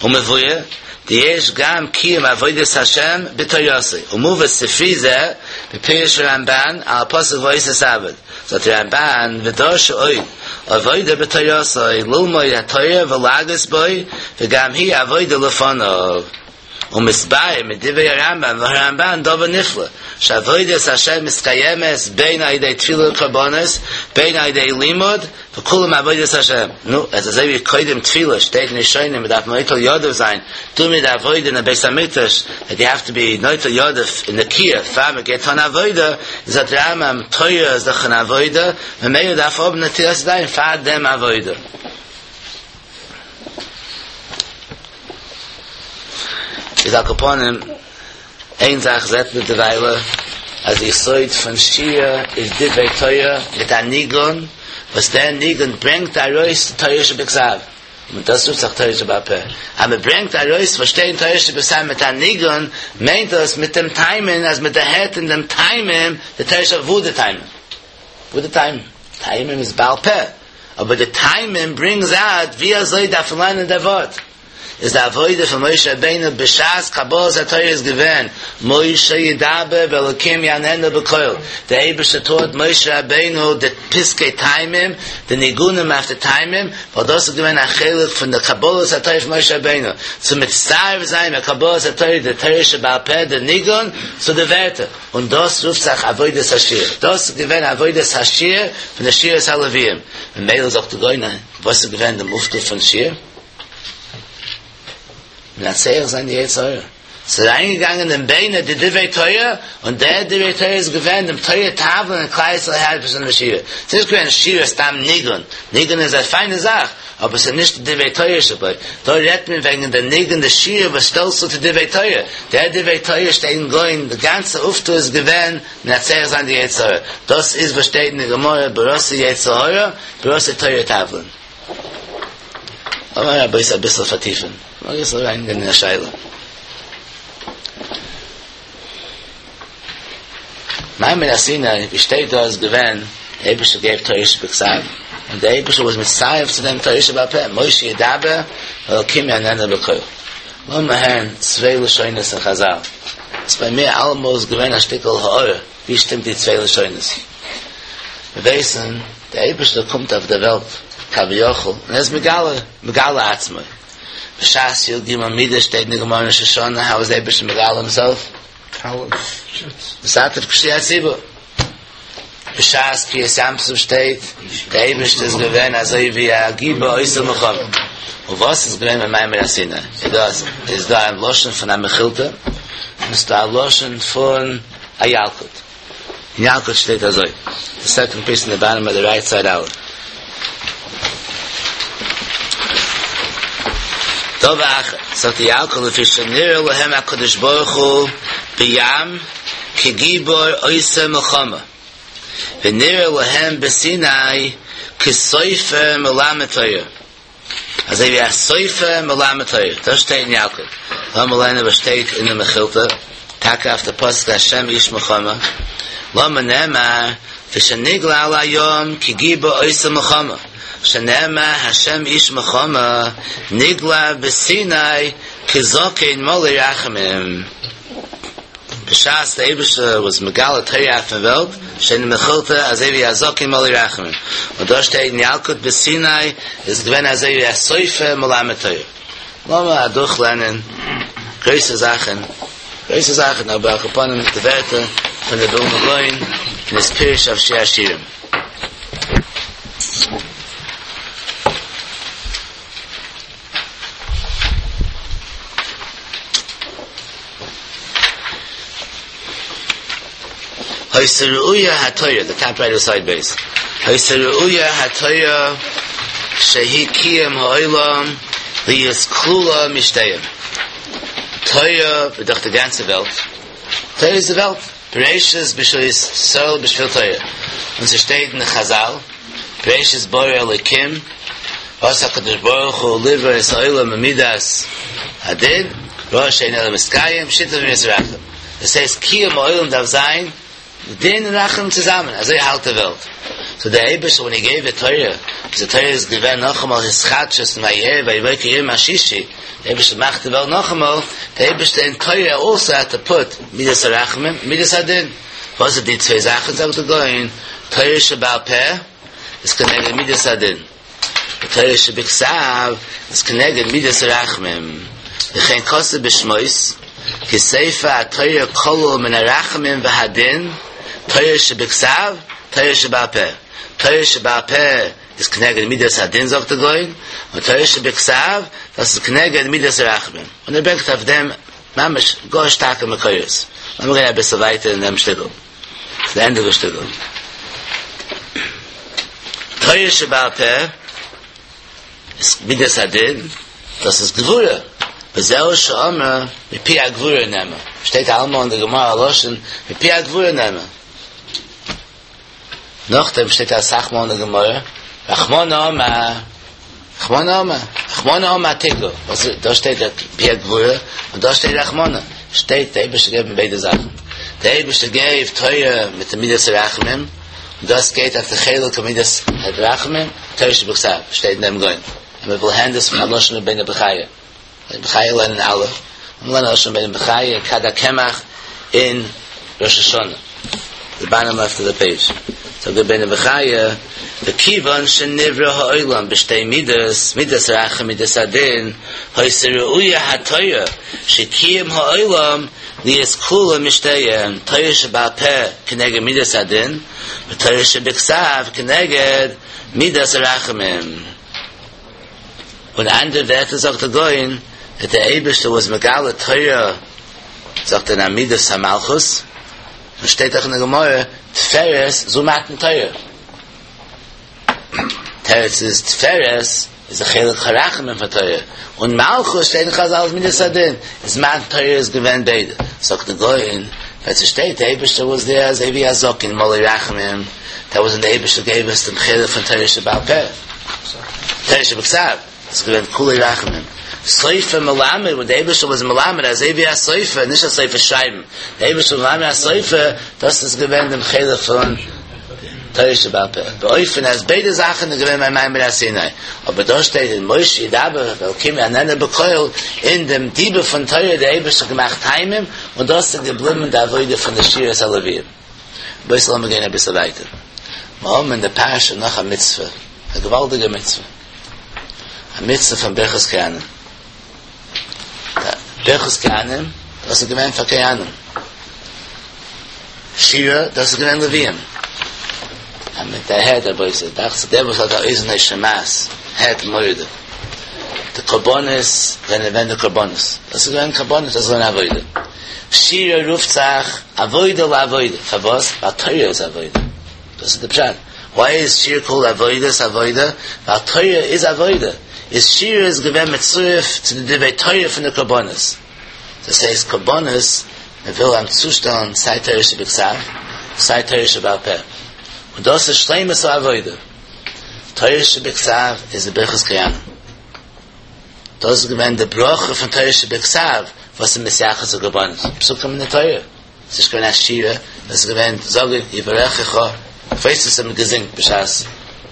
ומבואר דיש גם קיום עבודת השם בתורתו, ומובא ספרי זה בפירוש הרמב"ן על הפסוק והיית תעבוד, זאגט הרמב"ן ודרשו עוד עבודה בתורתו ללמוד התורה ולהגות בו וגם היא עבודה לפניו. ומתבאר מדברי הרמב"ם והרמב"ן דבר נפלא, שעבודת השם מתקיימת בין על ידי תפילה וקרבנות, בין על ידי לימוד, וכולם עבודת השם. נו, אז אזוי ווי קודם תפילה שטייט אין ראשונים מ'דארף נוטל ידיו זיין, טו מיר די עבודה אין בית המקדש, דעט יו העוו טו בי נוטל ידיו אין נקיה פאר מ'גייט טון עבודה, זאגט רמב"ם תורה איז דאך אן עבודה, ממילא דארף האבן נטילת ידיים פאר דעם עבודה. איז על כל פנים, איין זאך זעט מען דערוויילע, אז די יסוד פון שירה איז דברי תורה מיט א ניגון, וואס דער ניגון ברענגט ארויס די תורה שבכתב, און דאס רופט זיך תורה שבעל פה. אז מען ברענגט ארויס וואס שטייט אין תורה שבכתב מיט א ניגון, מיינט דאס מיט דעם טעמים, אז מען דערהערט אין דעם טעמים די תורה שבעל וואו די טעמים? וואו די טעמים? טעמים איז בעל פה. אבער די טעמים ברינגס אוט ווי אזוי דארף מען לערנען דער ווארט, איז די עבודה פון משה רבינו בשעת קבלת התורה איז געווען משה ידבר ואלקים יעננו בקול, דער אייבערשטער טאוט משה רבינו די פסקי טעמים, די ניגונים אויף די טעמים, ווייל דאס איז געווען א חלק פון די קבלת התורה פון משה רבינו, צו מצטרף זיין מיט קבלת התורה די תורה שבעל פה די ניגון צו די ווערטער. און דאס רופט זיך עבודת השיר, דאס איז געווען עבודת השיר פון די שירת הלוויים, ממילא זאגט די גאון, וואס איז געווען דעם אויפטו פון שיר? מנצח זיין די יצר הרע, ס'איז אריינגעגאנגען אין ביינער די דברי תורה, און דער דברי תורה איז געווען דעם תורה תבלין און כלל ישראל הערט פון די שירה, ס'איז נישט געווען שירה סתם ניגון, ניגון איז א פיינע זאך, אבער ס'איז נישט די דברי תורה שבו, דא רעדט מען וועגן די ניגון די שיר וואס שטעלט צו צו דברי תורה, דער דברי תורה שטייט אין גאון, די גאנצע אויפטו איז געווען מנצח זיין די יצר הרע, דאס איז וואס שטייט אין די גמרא בראתי יצר הרע בראתי תורה תבלין. לאמיר רבותי אביסל פארטיפן, לאמיר אביסל אריינגיין אין א שאלה. מעמד הר סיני ווי שטייט דא איז געווען די אייבערשטער געבט תורה שבכתב און די אייבערשטער וואס מצרף צו דעם תורה שבעל פה משה ידבר ואלקים יעננו בקול לאמיר הערן צוויי לשונות אין חזל ס'איז ביי מיר אלעמאל איז געווען א שטיקל הארה ווי שטימט די צוויי לשונות מיר ווייסן די אייבערשטער קומט אויף דער וועלט כביכול און ער איז מגלה מגלה עצמו בשעת י"ג מידות שטייט אין די גמרא אין ראש השנה האו איז די אייבערשטער מגלה הימסעלף מתעטף כשליח ציבור. בשעת קריעת ים סוף שטייט, דער אייבערשטער איז געווען אזוי ווי א גיבור עושה מלחמה. און וואס איז געווען ביי מעמד הר סיני? איז דא איז דא א לשון פון א מכילתא, און ס'איז דא א לשון פון א ילקוט. אין ילקוט שטייט אזוי, די סעקאנד פיס אין די באטאם אוו די רייט סייד אלף. דבר אחר, זאגט די ילקוט לפי שנראה להם הקדוש ברוך הוא בים כגיבור עושה מלחמה, ונראה להם בסיני כסופר מלמד תורה, אזוי ווי א סופר מלמד תורה, דאס שטייט אין ילקוט, לאמיר ליינען וואס שטייט אין די מכילתא, טאקע אויף די פסוק השם איש מלחמה, למה נאמר ושנגלה על הים כגיבור עושה מלחמה, שנאמר השם איש מלחמה נגלה בסיני כזקן מלא רחמים. בשעת דער אייבערשטער וואס מגלה תורה אויפן וועלט, שטייט אין מכילתא אזוי ווי א זקן מלא רחמים, און דא שטייט אין ילקוט בסיני איז געווען אזוי ווי א סופר מלמד תורה. לאמיר אדורכלערנען גרויסע זאכן, גרויסע זאכן, אבער על כל פנים די ווערטער פון די ווילנא גאון אין היז פירוש אויף שיר השירים. היתה ראויה התורה, די טאפ רייט סייד בית, היתה ראויה התורה שהיא קיום העולם. להיות כלולה משתיהם. תורה איז דאך די גאנצע וועלט, תורה איז די וועלט, בראשית בשביל ישראל בשביל תורה, און ס'שטייט אין חזל, בראשית ברא אלקים, רצה הקדוש ברוך הוא לברוא את העולם במידת הדין, ראה שאין העולם מתקיים, שיתף במידת הרחמים. דאס הייסט קיום העולם דארף זיין דין און רחמים צוזאמען, אזוי האלט די וועלט. סאו דער אייבערשטער ווען הי געיוו די תורה, איז די תורה איז געווען נאכאמאל התחדשות אין ויהי ערב ויהי בוקר יום השישי, דער אייבערשטער מאכט די וועלט נאכאמאל, דער אייבערשטער אין תורה אלסא העד טו פוט מידת הרחמים מידת הדין. וואס איז די צוויי זאכן זאגט דער גאון, תורה שבעל פה איז כנגד מידת הדין, די תורה שבכתב איז כנגד מידת הרחמים, וכן כתוב בשמות, כי ספר התורה כלול מן הרחמים והדין, תורה שבכתב, תורה שבעל פה. תורה שבעל פה איז כנגד מידת הדין זאגט דער גאון, און תורה שבכתב דאס איז כנגד מידת הרחמים. און ער ברענגט אויף דעם ממש גאר שטארקע מקורות. לאמיר גיין אביסל ווייטער אין דעם שטיקל. צו די ענדע פון שטיקל. תורה שבעל פה איז מידת הדין, דאס איז גבורה. וזהו שאמר מפי הגבורה נאמר. שטייט אלעמאל אין די גמרא א לשון מפי הגבורה נאמר. נאכדעם שטייט אסאך מאל אין די גמרא רחמנא אמר, רחמנא אמר, רחמנא אמר תיקו, וואס איז, דא שטייט מפי הגבורה און דא שטייט רחמנא, שטייט דער אייבערשטער געבן ביידע זאכן, דער אייבערשטער געבט תורה מיט די מידת הרחמים, און דאס גייט אויף די חלק מידת הרחמים, תורה שבכתב, שטייט אין דעם גאון, און מען וויל הערן דאס פון א לשון רבינו בחיי, רבינו בחיי לערנען אלע, און לערנען לשון רבינו בחיי, כד הקמח אין ראש השנה, די באטאם לעפט אוו די פעידזש, זאגט רבינו בחיי, וכיוון שנברא העולם בשתי מידות, מידת רחמים מידת הדין, היתה ראויה התורה שקיים העולם להיות כלולה משתיהם, תורה שבעל פה כנגד מידת הדין, ותורה שבכתב כנגד מידת הרחמים. און אנדערע ווערטער זאגט דער גאון דעט דער אייבערשטער וואס מגלה תורה זאגט ער אין מידת המלכות, און שטייט אויך אין די גמרא תפארת זו מתן תורה, תירוץ איז תפארת איז די חלק הרחמים פון תורה, און מלכות שטייט אין חזל איז מידת הדין, איז מתן תורה איז געווען ביידע, זאגט דער גאון ווען ס'שטייט די אייבערשטער וואס דער אזוי ווי א זקן מלא רחמים, דעט וואס ווען די אייבערשטער געב אונז דעם חלק פון תורה שבעל פה. תורה שבכתב, איז געווען כולי רחמים. סופר מלמד, ווען דער אייבערשטער וואס מלמד, אזוי ווי א סופר, נישט א סופר שרייבן, דער אייבערשטער מלמד א סופר, דאס איז געווען דעם חלק פון תורה שבעל פה. באופן אז ביידע זאכן איז געווען ביים מעמד הר סיני. אבער דא שטייט אין משה ידבר ואלקים יעננו בקול, אין דעם דיבור פון תורה דער אייבערשטער האט געמאכט טעמים, און דאס איז געבליבן די עבודה פון די שירת הלוויים. רבותי לאמיר גיין אביסל ווייטער. מיר האבן אין די פרשה נאך א מצוה, א געוואלדיגע מצוה. א מצוה פון ברכת כהנים. ברכת כהנים, דאס איז געווען פאר כהנים. שירה, דאס איז געווען לוויים. אז מען דערהערט רבותי, דאכט זיך דער וואס האט א אוזן השומעת, הערט מורא'דיג. די קרבנות זענען געווען די קרבנות. דאס איז געווען קרבנות, דאס איז געווען עבודה. שירה רופט זיך עבודה לעבודה, פארוואס? ווייל תורה איז עבודה, דאס איז די פשט, וויי איז שירה קאלד עבודת עבודה? ווייל תורה איז עבודה, איז שירה איז געווען מצורף צו די דברי תורה פון די קרבנות, דאס הייסט קרבנות, מען וויל אים צושטעלן סיי תורה שבכתב סיי תורה שבעל פה, און דאס איז שלימות העבודה, תורה שבכתב איז די ברכת כהנים. דאס איז געווען די ברכה פון תורה שבכתב וואס איז מתייחס צו קרבנות, פסוקים אין די תורה, עס איז נישט געווען א שירה, עס איז געווען זאגן יברכך, כ'ווייס וואס האט מען געזינגט בשעת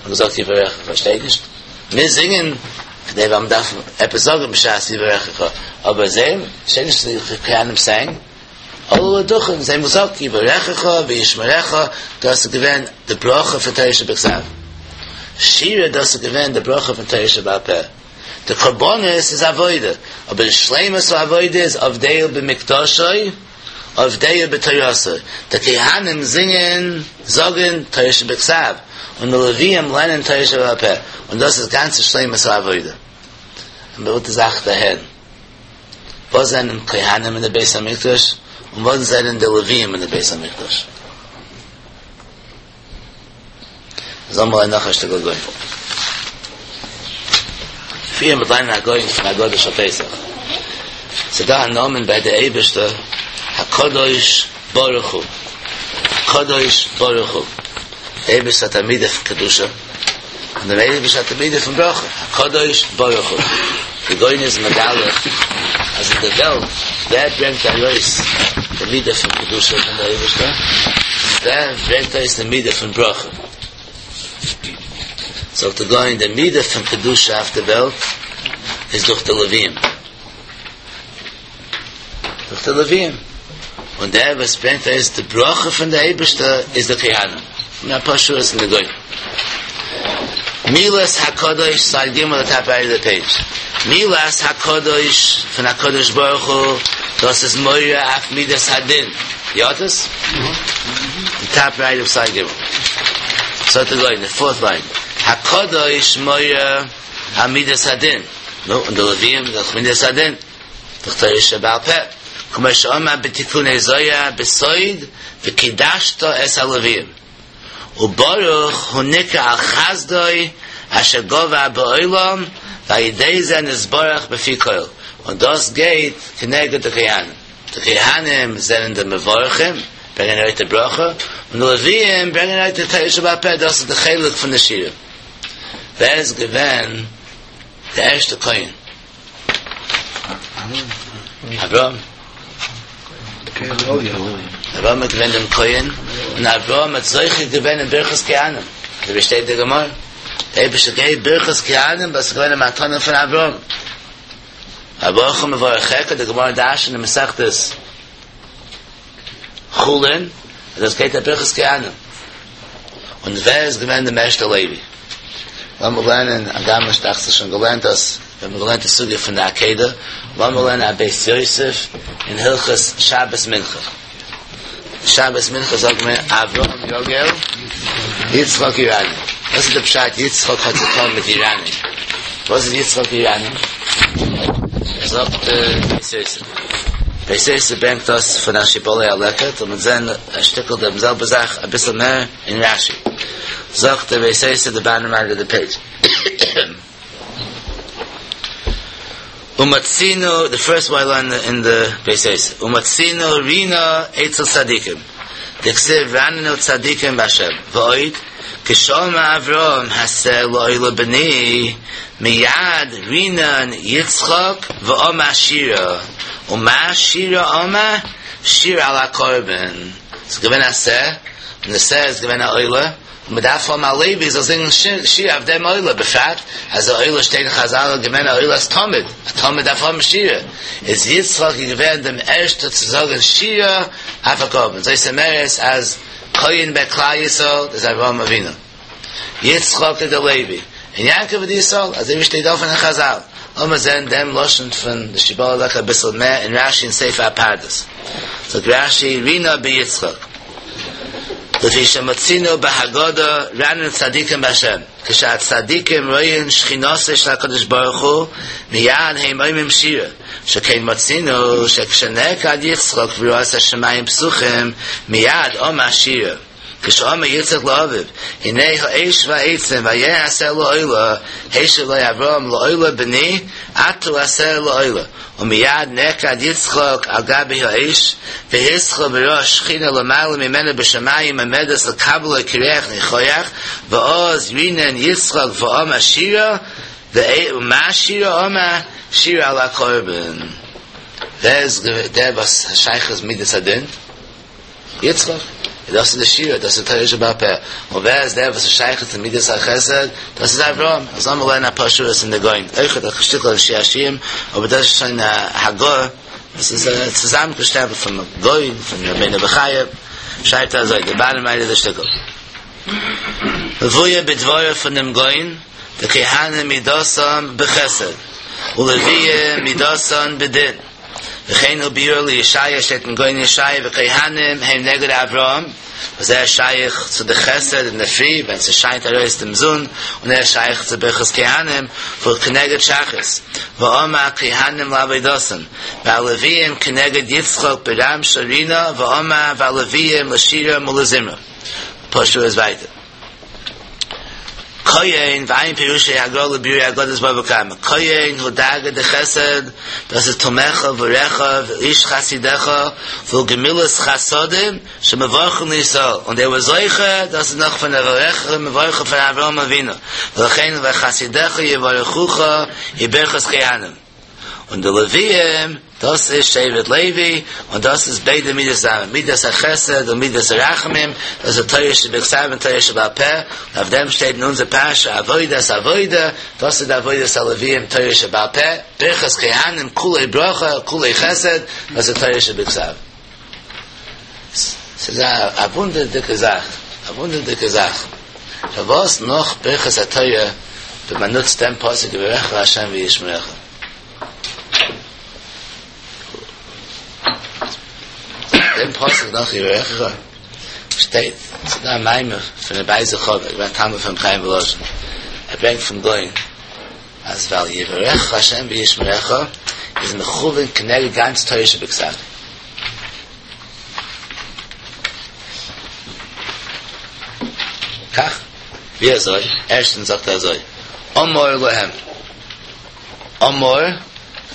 מ'האט געזאגט יברכך, שטייט נישט, מיר זינגען כדי ווייל מ'דארף עפעס זאגן בשעת יברכך, אבער זיי, שטייט נישט די כהנים סענג, עלו לדוכן, זיי האבן געזאגט יברכך וישמרך, דאס איז געווען די ברכה פון תורה שבכתב. שירה דאס איז געווען די ברכה פון תורה שבעל פה. די קרבנות איז עבודה, אבער די שלימות העבודה איז עבדהו במקדשו עובדהו בתורתו. די כהנים זינגען, זאגן, תורה שבכתב, און די לוויים לערנען תורה שבעל פה, און דאס איז גאנצע שלימות העבודה. און מ'וויל די זאך דערהערן. וואס זענען כהנים אין די בית המקדש און וואס זענען די לוויים אין די בית המקדש? זאל מיר נאך א שטיקל גוי. פריער מ'וועט ליינען א גאון פון הגדה של פסח. ס'איז דא א נאמען ביי די אייבערשטער הקדוש ברוך הוא. קדוש ברוך הוא. די אייבערשטער האט א מידה פון קדושה, און דער אייבערשטער האט א מידה פון ברכה. הקדוש ברוך הוא. די גאון איז מגלה אז אין די וועלט ווער ברענגט ארויס די מידה פון קדושה פון די אייבערשטער, ווער ברענגט ארויס די מידה פון ברכה. זאגט די גאון די מידה פון קדושה אויף די וועלט איז דורך די לוויים, דורך די לוויים, און דער וואס ברענגט ארויס די ברכה פון די אייבערשטער איז די כהנים, און אפאר שורות אין די גאון. מילת הקדוש סייד גימל די טאפ רייט אוו די פעידזש, מילת הקדוש פון הקדוש ברוך הוא דאס איז מורה אויף מידת הדין, יא דאס? די טאפ רייט אוו סייד גימל. זאגט די גאון, די פארט ליין, הקדוש מורה על מידת הדין, נו, און די לוויים דאך מידת הדין, דאך תורה שבעל פה, כמו שאמר בתיקוני זוהר בסוד וקדשת את הלוויים, וברוך הוא נקרא על חסדו אשר גבר בעולם ועל ידי זה נתברך בפי כל, און דאס גייט כנגד די כהנים. די כהנים זענען די מברכים, ברענגען ארויס די ברכה, און די לוויים ברענגען ארויס די תורה שבעל פה, דאס איז די חלק פון די שירה. ווער איז געווען די ערשטע כהן? אברהם. אברהם איז געווען דעם כהן, און אברהם האט זוכה געווען אין ברכת כהנים, אזוי ווי שטייט אין די גמרא, דער אייבערשטער געבט ברכת כהנים, וואס איז געווען א מתנה פון אברהם. אברכים מברכיך, די גמרא דרש'נט אין מסכת חולין, אז דאס גייט אויף ברכת כהנים. און ווער איז געווען דער ערשטער לוי? לאמיר לערנען, הגם איך דאכט זיך שוין געלערנט דאס, ווען מ'האט געלערנט די סוגיא פון די עקידה, לאמיר לערנען א בית יוסף אין הלכות שבת מנחה. שבת מנחה זאגט מען אברהם יגל יצחק ירנן. וואס איז די פשט יצחק האט צו טון מיט ירנן? וואס איז יצחק ירנן? זאגט בית יוסף. בית יוסף ברענגט דאס פון א שיבולי הלקט און מיר זעהן א שטיקל דעם זעלבע זאך אביסל מער אין רשי. זאגט דער בית יוסף די באטאם רייט אוו די פעידזש. ומצינו, די פירסט ווייל ליין אין די בית יוסף, ומצינו רינה אצל צדיקים, דכתיב רננו צדיקים בהשם, ועוד, כשאמר אברהם השה לעולה בני, מיד רינן יצחק ואמר שירה, ומה שירה אמר? שירה על הקרבן, ס'איז געווען א שה, און די שה איז געווען א עולה, און מען דארף האבן א לוי זאל זינגען שירה אויף דעם עולה, בפרט אז די עולה שטייט אין חזל איז געווען א עולת תמיד, א תמיד דארף האבן שירה, איז יצחק איז געווען דעם ערשטער צו זאגן שירה אויף א קרבן, זאת אומרת אז כהן ביי כלל ישראל איז אברהם אבינו, יצחק איז דער לוי, און יעקב איז די ישראל, אזוי ווי שטייט אפן אין חזל, לאמיר זען דעם לשון פון די שיבולת הלקט אביסל מער אין רשי אין ספר הפרדס, זאגט רשי רינה ביצחק. לפי שמצינו בהגדה רננו צדיקים בהשם, כשהצדיקים רואים שכינתו של הקדוש ברוך הוא מיד הם אומרים שירה, שכן מצינו שכשנעקד יצחק וראה את השמים פתוחים מיד אמר שירה, כשאמר יצחק לאביו הנה האש והעצים ואיה השה לעולה, השיב לו אברהם לעולה בני אתה השה לעולה, ומיד נעקד יצחק על גבי האש, והתחיל וראה שכינה למעלה ממנו בשמים עומדת לקבלו כריח ניחוח, ואז רינן יצחק ואמר שירה, ומה שירה אמר? שירה על הקרבן. ווער איז דער וואס שייך מידת הדין? יצחק, דאס איז די שירה, דאס איז תורה שבעל פה. און ווער איז דער וואס איז שייך צו מידת החסד? דאס איז אברהם. אז לאמיר לערנען אפאר שורות אין די גאון. אויך א שטיקל אין שיר השירים, אבער דאס איז שוין א הגהה, דאס איז צוזאמגעשטעלט פון גאון, פון רבינו בחיי, שרייבט ער אזוי, די באטאם רייט אוו די שטיקל. מבואר בדבריו פון דעם גאון, דכהנים מידתן בחסד, ולוויים מידתן בדין. וכן הוא ביאור לישעיה שטייט אין גאון ישעיה וכהנים הם נגד אברהם וואס ער איז שייך צו די חסד אין די פרי ווען ס'שיינט ארויס דעם זון און ער איז שייך צו ברכת כהנים והוא כנגד שחרית ואמר כהנים לעבודתן והלוויים כנגד יצחק ברם של רינה ואמר והלוויים לשירה ולזמרה פשוט איז ווייטער. כהן, ועיין פירושי הגר"א לביאור אגדת בבא קמא, כהן הוא דרגא דחסד, דאס איז תומיך וריך ואיש חסידך, והוא גמילת חסדים שמברכין לישראל, און דער וואס זוכה, דאס איז נאך פון יברכך מברכין פון אברהם אבינו, ולכן וחסידיך יברכוך היא ברכת כהנים. און די לוויים, דאס איז שבט לוי, און דאס איז ביידע מידות צוזאמען, מידת החסד און מידת הרחמים, דאס איז תורה שבכתב און תורה שבעל פה, און אויף דעם שטייט אין אונזער פרשה עבודת עבודה, דאס איז די עבודת הלוויים תורה שבעל פה, ברכת כהנים כולו ברכה כולו חסד, דאס איז תורה שבכתב. ס'איז א וואונדערדיגע זאך, א וואונדערדיגע זאך, פארוואס נאך ברכת התורה ווען מען נוצט דעם פסוק יברכך ה' וישמרך? דעם פסוק נאך יברכך שטייט, ס'איז דא א מאמר פון רבי אייזיק חבר, געווען א תלמיד פון רבי חיים וואלאזשין, ער ברענגט פון גאון אז ווייל יברכך ה' וישמרך איז מכוון כנגד גאנץ תורה שבכתב. כך, ווי אזוי? ערשטנס זאגט ער אזוי, אמור להם, אמור,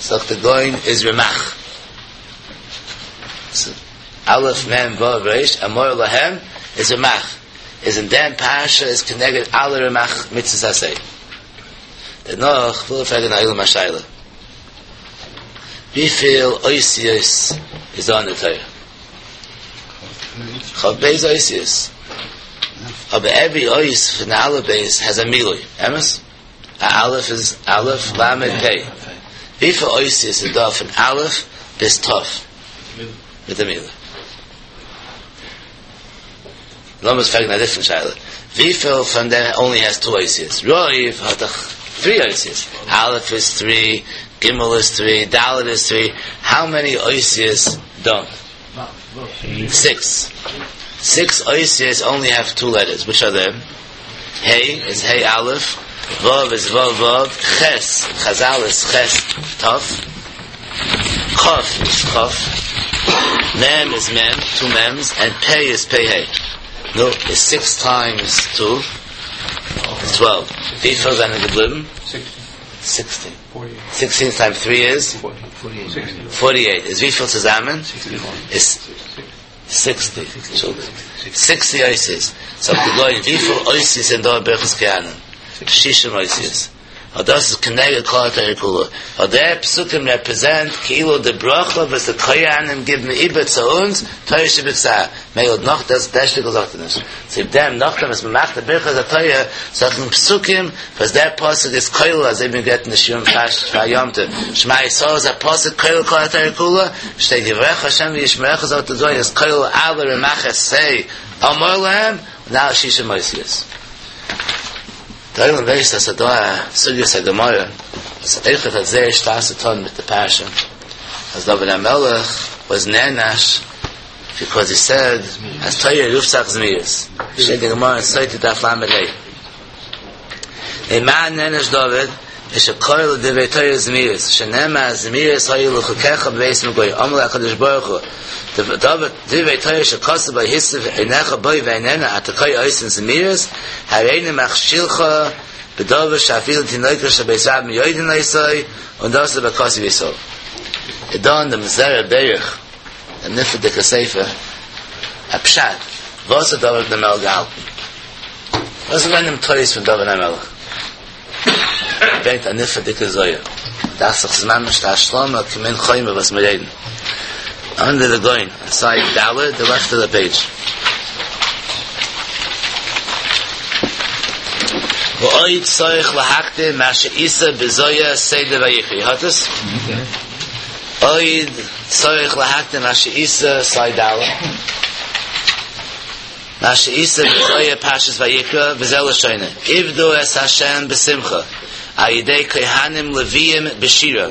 זאגט דער גאון איז רמ"ח, א' מ' ו' ר', אמור להם איז רמ"ח, איז אין דעם פרשה איז כנגד אלע רמ"ח מצוות עשה. דערנאך וויל איך פרעגן א עולם א שאלה. וויפיל אותיות איז דא אין די תורה? כ"ב אותיות. אבער עווערי אות פון די אלף בית העז א מילוי, אמת? א אלף איז אלף למד פ'. וויפיל אותיות איז דא פון אלף ביז ת'? מיט א מילוי. לאמיר פרעגן א דיפרענט שאלה, וויפיל פון דעם אנלי העז טו אותיות? רוב האט דאך טרי אותיות, א' איז טרי, ג' איז טרי, ד' איז טרי, האו מעני אותיות דאנט? סיקס. סיקס אותיות אנלי העוו טו לעטערס, וויטש אר דעם? ה' איז ה' א', ו' איז ו' ו', ח' אין חזל איז ח' ת', כ' איז כ', מ' איז מ', טו מ'ס, ענד פ' איז פ' ה'. נו, איז סיקס טיימס טו איז טוועלוו. וויפיל זענען געבליבן? סיקסטין. סיקסטין טיימס טרי איז? פארטי עיט. איז וויפיל צוזאמען? איז סיקסטי. סיקסטי אותיות. זאגט די גאון וויפיל אותיות זענען דא אין ברכת כהנים? שישים אותיות. אט דאס איז כנגד כל התורה כולה, ווייל די פסוקים רעפרעזענט כאילו די ברכה וואס די כהנים גיבן איבער צו אונז, תורה שבכתב, מילא נאך דאס דער שטיקל זאגט ער נישט, צוליב דעם נאכדעם וואס מען מאכט די ברכת התורה זאגט מען פסוקים וואס דער פסוק איז כולל אזוי ווי מען גערעדט אין די שיעורים פאר יום טוב, שמע ישראל איז א פסוק כולל כל התורה כולה, שטייט יברכך השם וישמרך זאגט די גאון איז כולל אלע רמ"ח עשה אמור להם און אלע שישים אותיות. דער עולם ווייסט אז ס'דא א סוגיית הגמרא וואס אויכעט האט זייער שטארק צו טון מיט די פרשה אז דוד המלך וואס נענש ביקאוז הי סעד אז תורה רופט זיך זמירות שטייט אין גמרא אין סוטה דף ל"ה ממה נענש דוד שקרא לדברי תורה זמירות שנאמר זמירות היו לחוקיך בבית מגורי אמר לו הקדוש ברוך הוא דברי תורה שכתוב בה הסיב עיניך בו ואיננו אתה קורא אותן זמירות הריני מכשילך בדבר שאפילו תינוקות של בית רבן יודעין אותו און דאס איז בכתוב ישראל. איז דא אין דעם זרע ברך דעם נפלא'דיגע ספר א פשט וואס האט דוד המלך געהאלטן? וואס איז געווען דעם טעות פון דוד המלך? ער ברענגט א נפלא'דיגע זוהר, דאכט זיך ס'איז ממש די השלמה כמין חומר וואס מיר רעדן. אנדער די גאון, סייד ד', די לעפט אוו די פעידזש. ועוד צריך להקדים מה שאיתא בזוהר סדר ויקרא, האט עס? עוד צריך להקדים מה שאיתא סייד ד'. מה שאיתא בזוהר פרשת ויקרא וזה לשונו עבדו את ה' בשמחה על ידי כהנים לוויים בשירה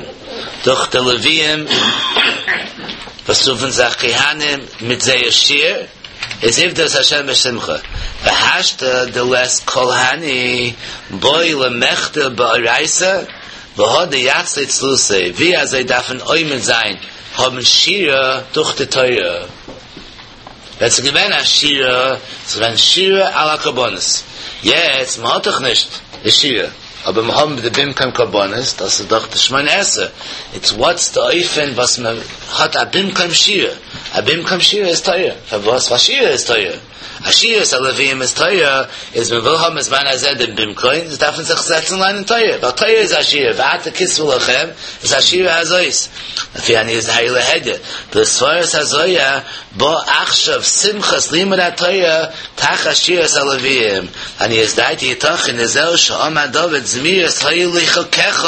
דורך די לוויים וואס רופן זיך כהנים מיט זייער שיר איז עבדו את ה' בשמחה והשתא דלית כל הני בעי למחדי באורייתא והדר יצלי צלותיה ווי אזוי דארף מען עומד זיין האבן שירה דורך די תורה. ווען ס'איז געווען א שירה, ס'איז געווען שירה על הקרבנות. יעצט, מ'האט דאך נישט די שירה, אבער מיר האבן די במקום קרבנות, דאס איז דאך די שמונה עשרה, איטס וואטס די אופן וואס מען האט א במקום שירה, א במקום שירה איז תורה, פארוואס? ווייל שירה איז תורה, אז שירת הלוויים איז תורה, איז מען וויל האבן בזמן הזה דעם במקום, איז דארף מען זיך זעצן לערנען תורה, ווייל תורה איז א שירה, ועתה כתבו לכם, איז השירה הזאת, לפי עניות דהאי להדיא, בסברת הזוהר, בא עכשיו שמחת לימוד התורה תחת שירת הלוויים, לעניות דעתי יתכן דזהו שאמר דוד זמירות היו לי חוקיך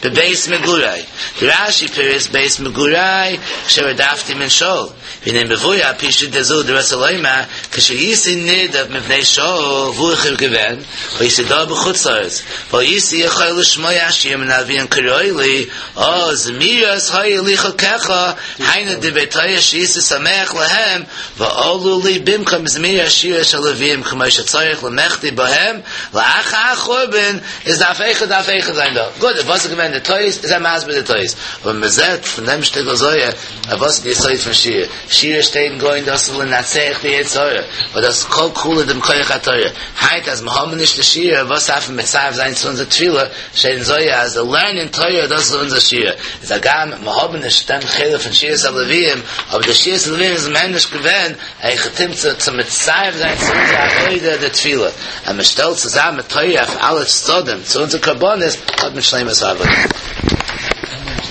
בבית מגורי, דרש"י פירש בית מגורי כשרדפתי מן שאול, והנה מבואר על פי שיטה זו דרצה לומר כשהייתי נרדף מפני שאול וואו איך האב געווען והייתי דר בחוץ לארץ והייתי יכול לשמוע השיר מן הלוויים כראוי לי אז זמירות היו לי חוקיך היינו דברי תורה שהייתי שמח להם ועלו לי במקום זמירות שירה של לוויים כמו שצריך למחדי בהם לאחר החורבן איז דארף אויכעט דארף אויכעט זיין דא גוט וואס איז געווען די טעות איז ער מסביר די טעות אבער מען זעט פון דעם שטיקל זוהר אז וואס איז די יסוד פון שירה שירה שטייט אין גוים דאס איז לנצח די יצר הרע און דאס איז כל כולו דעם כח התורה היינט אז מיר האבן נישט די שירה וואס דארף מען מצרף זיין צו אונזער תפילה שטייט אין זוהר אז די לערנען תורה דאס איז אונזער שירה, איז הגם מיר האבן נישט דעם חלק פון שירת הלוויים, אבער די שירת הלוויים איז מער נישט געווען א היכי תמצא צו מצרף זיין צו אונזער עבודה די תפילה, אז מען שטעלט צוזאמען תורה אויף אלע צדדים צו אונזער קרבנות האט מען שלימות העבודה.